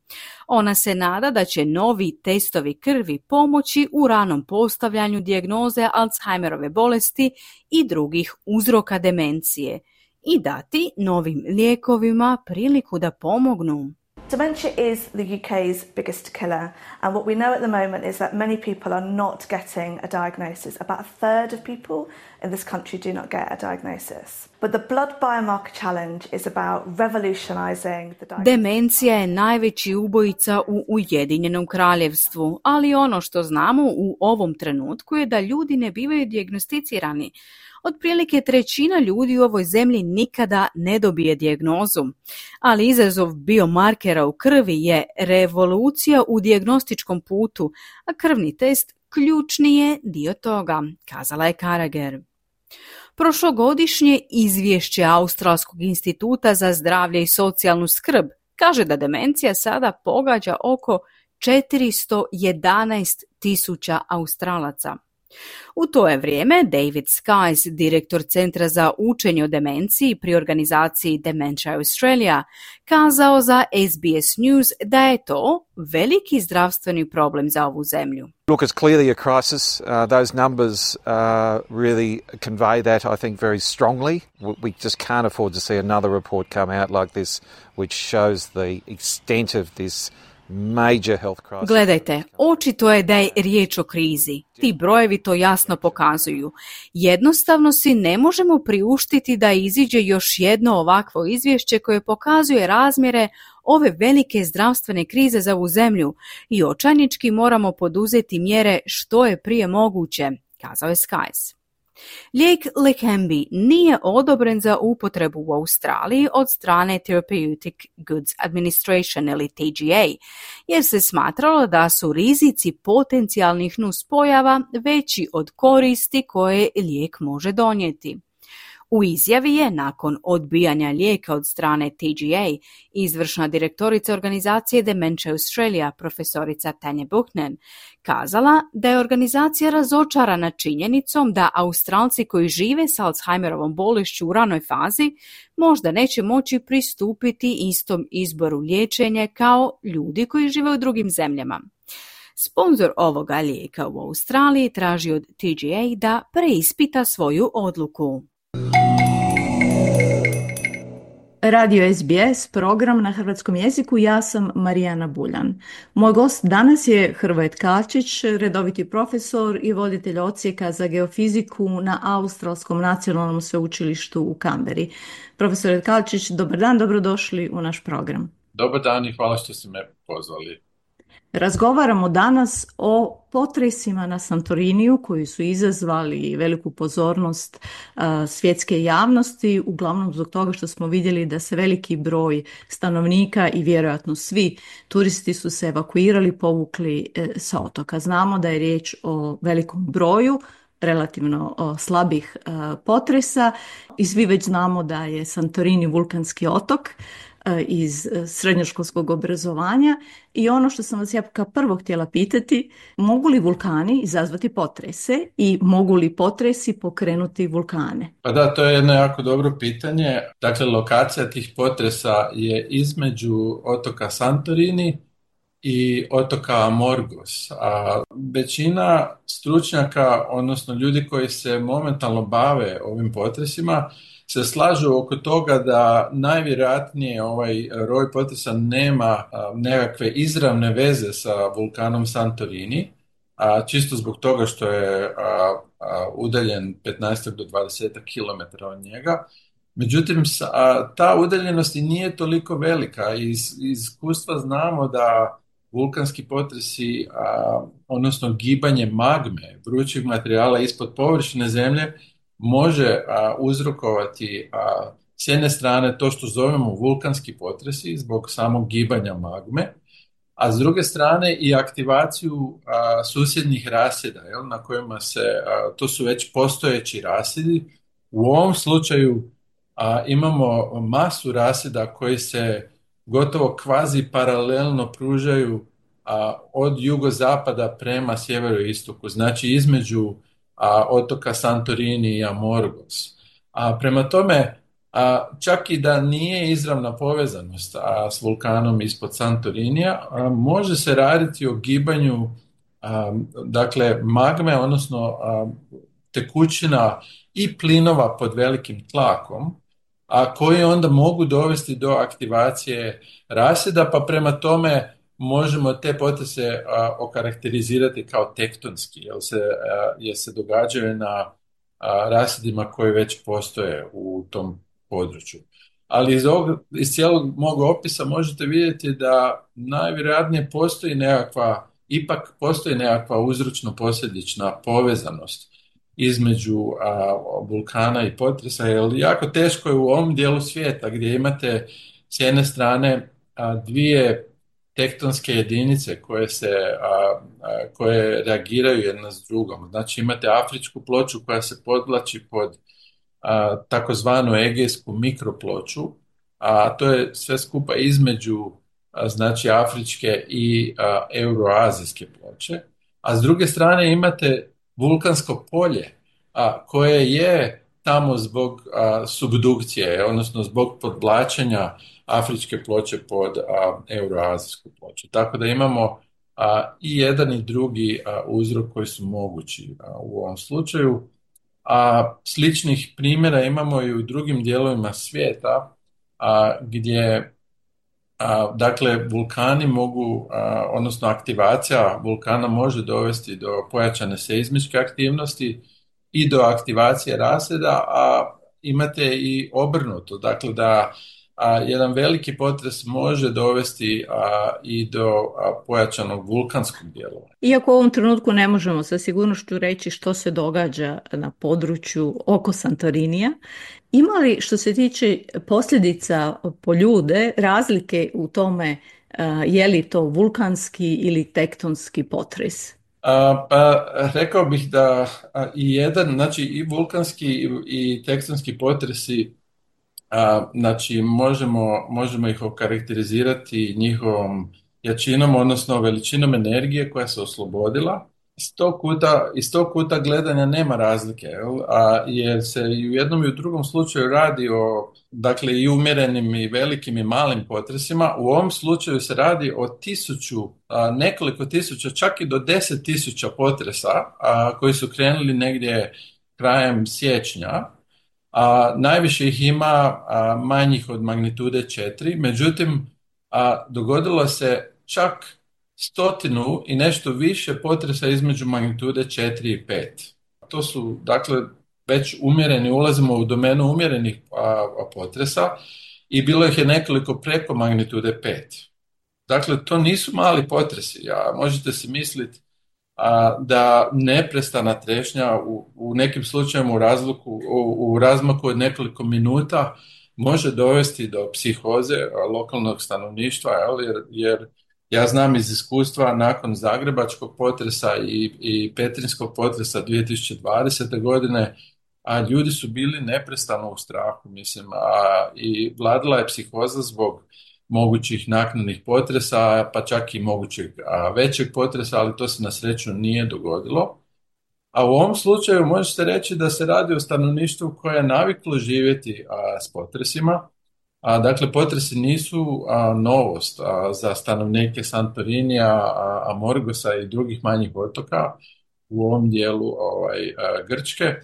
Ona se nada da će novi testovi krvi pomoći u ranom postavljanju dijagnoze Alzheimerove bolesti i drugih uzroka demencije i dati novim lijekovima priliku da pomognu. Dementia is the U K's biggest killer, and what we know at the moment is that many people are not getting a diagnosis. About a third of people in this country do not get a diagnosis. But the Blood Biomarker Challenge is about revolutionizing the diagnosis. Demencija je najveći ubojica u Ujedinjenom kraljevstvu, ali ono što znamo u ovom trenutku je da ljudi ne bivaju dijagnosticirani. Otprilike trećina ljudi u ovoj zemlji nikada ne dobije dijagnozu, ali izazov biomarkera u krvi je revolucija u dijagnostičkom putu, a krvni test ključni je dio toga, kazala je Carragher. Prošlogodišnje izvješće Australskog instituta za zdravlje i socijalnu skrb kaže da demencija sada pogađa oko četiristo jedanaest tisuća Australaca. U to je vrijeme David Skies, direktor Centra za učenje o demenciji pri organizaciji Dementia Australia, kazao za S B S News da je to veliki zdravstveni problem za ovu zemlju. Look, it's clearly a crisis. Uh, those numbers uh, really convey that, I think, very strongly. We just can't afford to see another report come out like this, which shows the extent of this major health crisis. Gledajte, očito je da je riječ o krizi. Ti brojevi to jasno pokazuju. Jednostavno si ne možemo priuštiti da iziđe još jedno ovakvo izvješće koje pokazuje razmjere ove velike zdravstvene krize za ovu zemlju i očajnički moramo poduzeti mjere što je prije moguće, kazao je Skies. Lijek Leqembi nije odobren za upotrebu u Australiji od strane Therapeutic Goods Administration ili T G A, jer se smatralo da su rizici potencijalnih nuspojava veći od koristi koje lijek može donijeti. U izjavi je, nakon odbijanja lijeka od strane T G A, izvršna direktorica organizacije Dementia Australia, profesorica Tanja Buchanan, kazala da je organizacija razočarana činjenicom da Australci koji žive s Alzheimerovom bolešću u ranoj fazi možda neće moći pristupiti istom izboru liječenja kao ljudi koji žive u drugim zemljama. Sponzor ovoga lijeka u Australiji traži od T G A da preispita svoju odluku. Radio S B S, program na hrvatskom jeziku, ja sam Marijana Buljan. Moj gost danas je Hrvoje Tkalčić, redoviti profesor i voditelj odsjeka za geofiziku na Australskom nacionalnom sveučilištu u Kamberi. Profesor Tkalčić, dobar dan, dobrodošli u naš program. Dobar dan i hvala što ste me pozvali. Razgovaramo danas o potresima na Santoriniju koji su izazvali veliku pozornost uh, svjetske javnosti, uglavnom zbog toga što smo vidjeli da se veliki broj stanovnika i vjerojatno svi turisti su se evakuirali, povukli uh, sa otoka. Znamo da je riječ o velikom broju relativno o, slabih uh, potresa i svi već znamo da je Santorini vulkanski otok iz srednjoškolskog obrazovanja i ono što sam vas ja kao prvo htjela pitati, mogu li vulkani izazvati potrese i mogu li potresi pokrenuti vulkane? Pa da, to je jedno jako dobro pitanje. Dakle, lokacija tih potresa je između otoka Santorini i otoka Amorgos. A većina stručnjaka, odnosno ljudi koji se momentalno bave ovim potresima, se slažu oko toga da najvjerojatnije ovaj roj potresa nema a, nekakve izravne veze sa vulkanom Santorini, a čisto zbog toga što je a, a, udaljen petnaest do dvadeset kilometara od njega. Međutim, a, ta udaljenost i nije toliko velika. Iz, iz iskustva znamo da vulkanski potresi, a, odnosno gibanje magme, vrućeg materijala ispod površine zemlje, može a, uzrokovati a, s jedne strane to što zovemo vulkanski potresi zbog samog gibanja magme, a s druge strane i aktivaciju a, susjednih rasjeda, jel, na kojima se, a, to su već postojeći rasjedi. U ovom slučaju a, imamo masu rasjeda koji se gotovo kvazi paralelno pružaju a, od jugozapada prema sjeveroistoku, znači između a, otoka Santorini i Amorgos. A, prema tome, a, čak i da nije izravna povezanost a, s vulkanom ispod Santorinija, a, može se raditi o gibanju a, dakle magme, odnosno a, tekućina i plinova pod velikim tlakom, a koji onda mogu dovesti do aktivacije rasjeda, pa prema tome možemo te potrese a, okarakterizirati kao tektonski, jer se, a, jer se događaju na a, rasjedima koji već postoje u tom području. Ali iz, ovog, iz cijelog mog opisa možete vidjeti da najvjerojatnije postoji nekakva, ipak postoji nekakva uzročno-posljedična povezanost između a, vulkana i potresa, jer jako teško je u ovom dijelu svijeta gdje imate s jedne strane a, dvije tektonske jedinice koje se a, a, koje reagiraju jedna s drugom. Znači imate afričku ploču koja se podvlači pod a, takozvanu egejsku mikroploču, a to je sve skupa između znači afričke i a, euroazijske ploče, a s druge strane imate vulkansko polje a, koje je tamo zbog a, subdukcije, odnosno zbog podvlačenja afričke ploče pod a, euroazijsku ploču. Tako da imamo a, i jedan i drugi a, uzrok koji su mogući a, u ovom slučaju. A sličnih primjera imamo i u drugim dijelovima svijeta a, gdje a, dakle vulkani mogu, a, odnosno aktivacija vulkana može dovesti do pojačane seizmičke aktivnosti i do aktivacije raseda, a imate i obrnuto, dakle da a, jedan veliki potres može dovesti a, i do a, pojačanog vulkanskog djelovanja. Iako u ovom trenutku ne možemo sa sigurnošću reći što se događa na području oko Santorinija, ima li što se tiče posljedica po ljude razlike u tome a, je li to vulkanski ili tektonski potres? A, pa rekao bih da a, i jedan, znači i vulkanski i, i tektonski potresi, a, znači možemo, možemo ih okarakterizirati njihovom jačinom, odnosno veličinom energije koja se oslobodila. Iz tog kuta, iz tog kuta gledanja nema razlike, jel? A, jer se i u jednom i u drugom slučaju radi o, dakle, i umjerenim i velikim i malim potresima. U ovom slučaju se radi o tisuću, a, nekoliko tisuća, čak i do deset tisuća potresa a, koji su krenuli negdje krajem siječnja. A, najviše ih ima a, manjih od magnitude četiri, međutim a, dogodilo se čak stotinu i nešto više potresa između magnitude četiri i pet. To su, dakle, već umjereni, ulazimo u domenu umjerenih a, a potresa i bilo ih je nekoliko preko magnitude pet. Dakle, to nisu mali potresi. Ja, možete si misliti a, da neprestana trešnja u, u nekim slučajevima u, razluku, u, u razmaku od nekoliko minuta može dovesti do psihoze a, lokalnog stanovništva, jer, jer ja znam iz iskustva nakon zagrebačkog potresa i, i petrinjskog potresa dvije tisuće dvadesete. godine, a ljudi su bili neprestano u strahu, mislim, a i vladala je psihoza zbog mogućih naknadnih potresa, pa čak i mogućeg a, većeg potresa, ali to se na sreću nije dogodilo. A u ovom slučaju možete reći da se radi o stanovništvu koje je naviklo živjeti a, s potresima. A, dakle, potresi nisu a, novost a, za stanovnike Santorinija, a, Amorgosa i drugih manjih otoka u ovom dijelu ovaj, a, Grčke.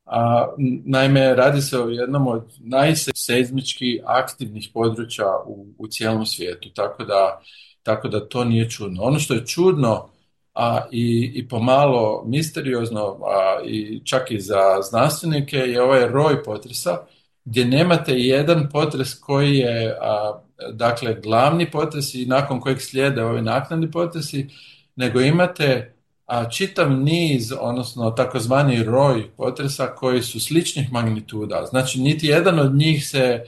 A, naime, radi se o jednom od najseizmički aktivnih područja u, u cijelom svijetu, tako da, tako da to nije čudno. Ono što je čudno a, i, i pomalo misteriozno, a, i čak i za znanstvenike, je ovaj roj potresa, gdje nemate jedan potres koji je, a, dakle, glavni potres i nakon kojeg slijede ovi naknadni potresi, nego imate a, čitav niz, odnosno takozvani roj potresa koji su sličnih magnituda. Znači, niti jedan od njih se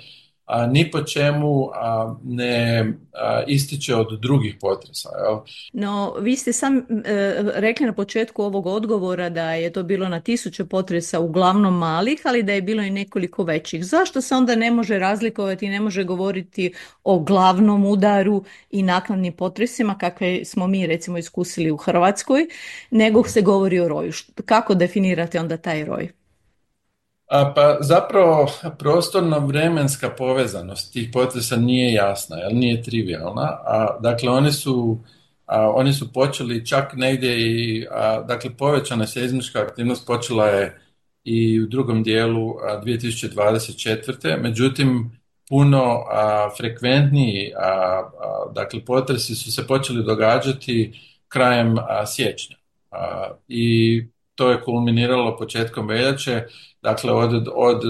a, ni po čemu a, ne a, ističe od drugih potresa. Jel? No, vi ste sam e, rekli na početku ovog odgovora da je to bilo na tisuće potresa uglavnom malih, ali da je bilo i nekoliko većih. Zašto se onda ne može razlikovati i ne može govoriti o glavnom udaru i naknadnim potresima kakve smo mi recimo iskusili u Hrvatskoj, nego se govori o roju? Kako definirate onda taj roj? A, pa zapravo prostorno-vremenska povezanost tih potresa nije jasna, jer nije trivialna. A, dakle, oni su, a, oni su počeli čak negdje i, a, dakle, povećana seizmička aktivnost počela je i u drugom dijelu a, dvije tisuće dvadeset četvrte. Međutim, puno a, frekventniji, a, a, dakle, potresi su se počeli događati krajem a, siječnja. A, I to je kulminiralo početkom veljače. Dakle, od, od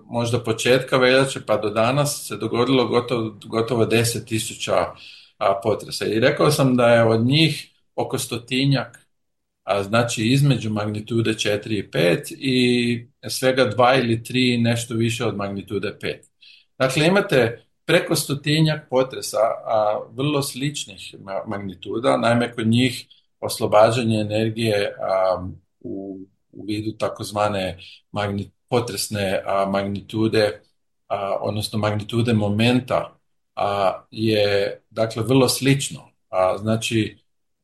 možda početka veljače pa do danas se dogodilo gotovo, gotovo deset tisuća potresa. I rekao sam da je od njih oko stotinjak, a znači između magnitude četiri i pet i svega dva ili tri nešto više od magnitude pet. Dakle, imate preko stotinjak potresa, a vrlo sličnih magnituda, naime kod njih oslobađanje energije a, u u vidu takozvane magnit, potresne a, magnitude, a, odnosno magnitude momenta a, je dakle vrlo slično, a, znači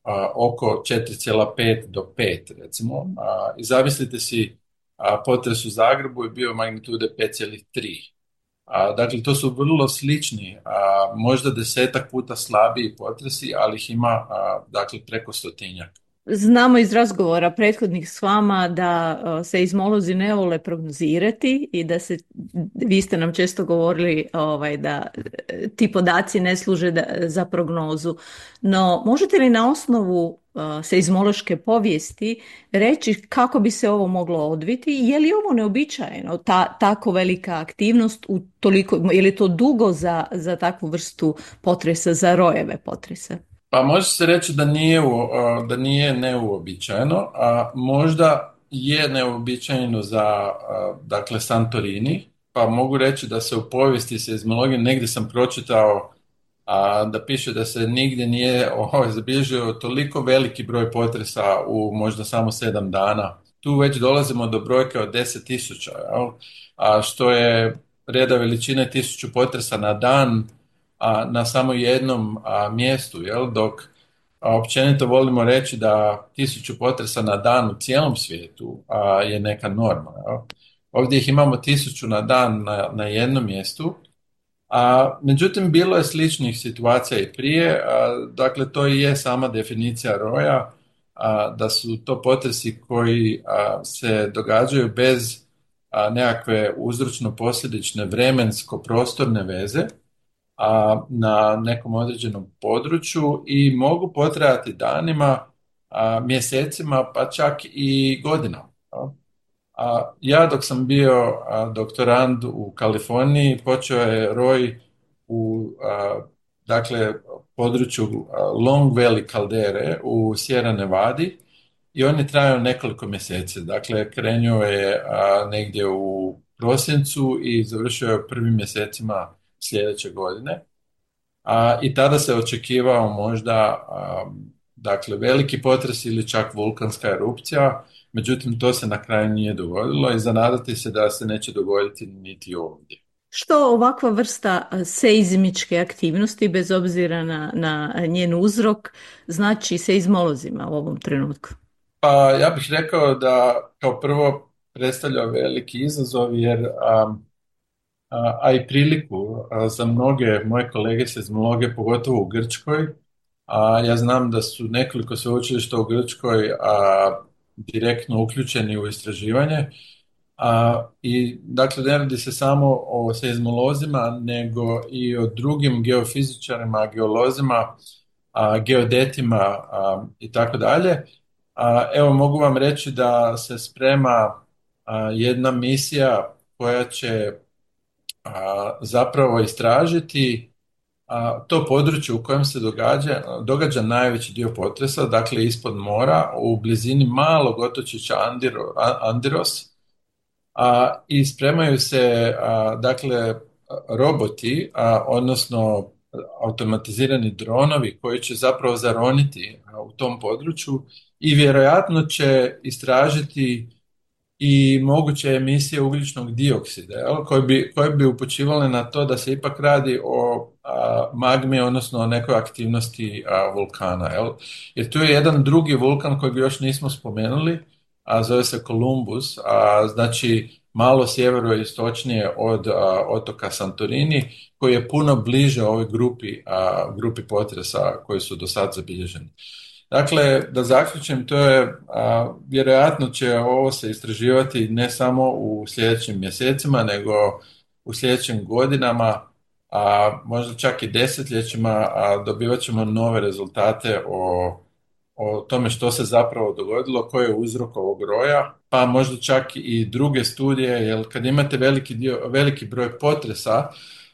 a, oko četiri zarez pet do pet recimo, a, i zamislite si a, potres u Zagrebu je bio magnitude pet zarez tri. A, dakle, to su vrlo slični, a, možda desetak puta slabiji potresi, ali ih ima a, dakle, preko stotinjak. Znamo iz razgovora prethodnih s vama da uh, seizmolozi ne vole prognozirati i da se, vi ste nam često govorili ovaj, da ti podaci ne služe da, za prognozu. No, možete li na osnovu uh, seizmološke povijesti reći kako bi se ovo moglo odviti? Je li ovo neobičajeno, ta, tako velika aktivnost, u toliko, je li to dugo za, za takvu vrstu potresa, za rojeve potresa? Pa može se reći da nije, da nije neuobičajeno, a možda je neuobičajeno za dakle Santorini, pa mogu reći da se u povijesti seizmologije, negdje sam pročitao a, da piše da se nigdje nije ovaj, zabilježio toliko veliki broj potresa u možda samo sedam dana. Tu već dolazimo do brojke od deset tisuća, a što je reda veličine tisuću potresa na dan, a, na samo jednom a, mjestu, jel? Dok a, općenito volimo reći da tisuću potresa na dan u cijelom svijetu a, je neka norma. Jel? Ovdje ih imamo tisuću na dan na, na jednom mjestu, a međutim bilo je sličnih situacija i prije, a, dakle to i je sama definicija roja, a, da su to potresi koji a, se događaju bez a, nekakve uzročno-posljedične vremensko-prostorne veze, a, na nekom određenom području i mogu potrajati danima, a, mjesecima, pa čak i godinama. A, ja dok sam bio a, doktorand u Kaliforniji, počeo je roj u a, dakle, području a, Long Valley kaldere u Sierra Nevadi i on je trajao nekoliko mjeseci. Dakle, krenuo je a, negdje u prosincu i završio je u prvim mjesecima sljedeće godine. A, i tada se očekivao možda a, dakle, veliki potres ili čak vulkanska erupcija, međutim to se na kraju nije dogodilo i zanadati se da se neće dogoditi niti ovdje. Što ovakva vrsta seizmičke aktivnosti, bez obzira na, na njen uzrok, znači seizmolozima u ovom trenutku? Pa ja bih rekao da kao prvo predstavlja veliki izazov jer a, a, a i priliku a, za mnoge moje kolege seizmologe, pogotovo u Grčkoj. A ja znam da su nekoliko sveučilišta u Grčkoj a, direktno uključeni u istraživanje. A, I dakle ne radi se samo o seizmolozima, nego i o drugim geofizičarima, geolozima, a, geodetima a, i tako dalje. A, evo mogu vam reći da se sprema a, jedna misija koja će a, zapravo istražiti a, to područje u kojem se događa, događa najveći dio potresa, dakle ispod mora, u blizini malog otočića Andiro, Andiros, a, i spremaju se a, dakle roboti, a, odnosno automatizirani dronovi koji će zapravo zaroniti a, u tom području i vjerojatno će istražiti i moguće emisije ugljičnog dioksida, jel, koje bi, koje bi upućivale na to da se ipak radi o a, magmi, odnosno o nekoj aktivnosti a, vulkana. Jel. Jer tu je jedan drugi vulkan kojeg još nismo spomenuli, a zove se Columbus, a, znači malo sjeveroistočnije od a, otoka Santorini, koji je puno bliže ovoj grupi, a, grupi potresa koji su do sad zabilježeni. Dakle, da zaključim, to je, a, vjerojatno će ovo se istraživati ne samo u sljedećim mjesecima, nego u sljedećim godinama, a možda čak i desetljećima, a dobivat ćemo nove rezultate o, o tome što se zapravo dogodilo, koji je uzrok ovog roja, pa možda čak i druge studije, jer kad imate veliki, dio, veliki broj potresa,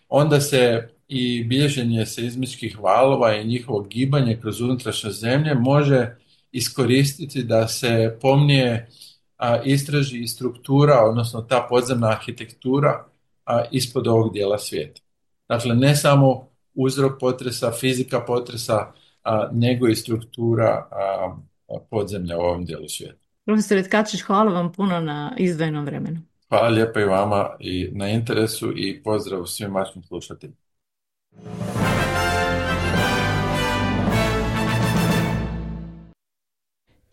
onda se i bilježenje seizmičkih valova i njihovo gibanje kroz unutrašnje zemlje može iskoristiti da se pomnije a, istraži i struktura, odnosno ta podzemna arhitektura a, ispod ovog dijela svijeta. Dakle, ne samo uzrok potresa, fizika potresa, a, nego i struktura a, podzemlja u ovom dijelu svijeta. Profesor Tkačić, hvala vam puno na izdvojenom vremenu. Hvala lijepa i vama i na interesu i pozdrav svim vašim slušateljima.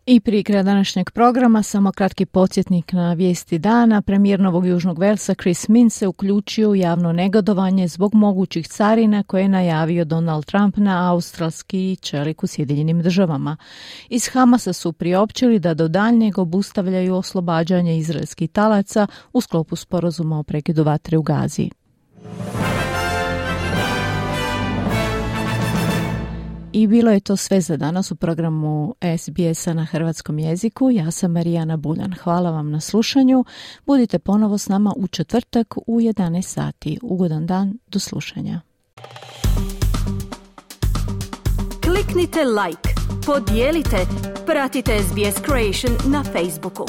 I prije kraja današnjeg programa samo kratki podsjetnik na vijesti dana. Premijer Novog Južnog Velsa Chris Minns se uključio u javno negodovanje zbog mogućih carina koje je najavio Donald Trump na australski čelik u Sjedinjenim državama. Iz Hamasa su priopćili da do daljnjeg obustavljaju oslobađanje izraelskih talaca u sklopu sporazuma o prekidu vatre u Gazi. I bilo je to sve za danas u programu S B S-a na hrvatskom jeziku. Ja sam Marijana Buljan. Hvala vam na slušanju. Budite ponovo s nama u četvrtak u jedanaest sati. Ugodan dan, do slušanja. Kliknite like, podijelite, pratite S B S Creation na Facebooku.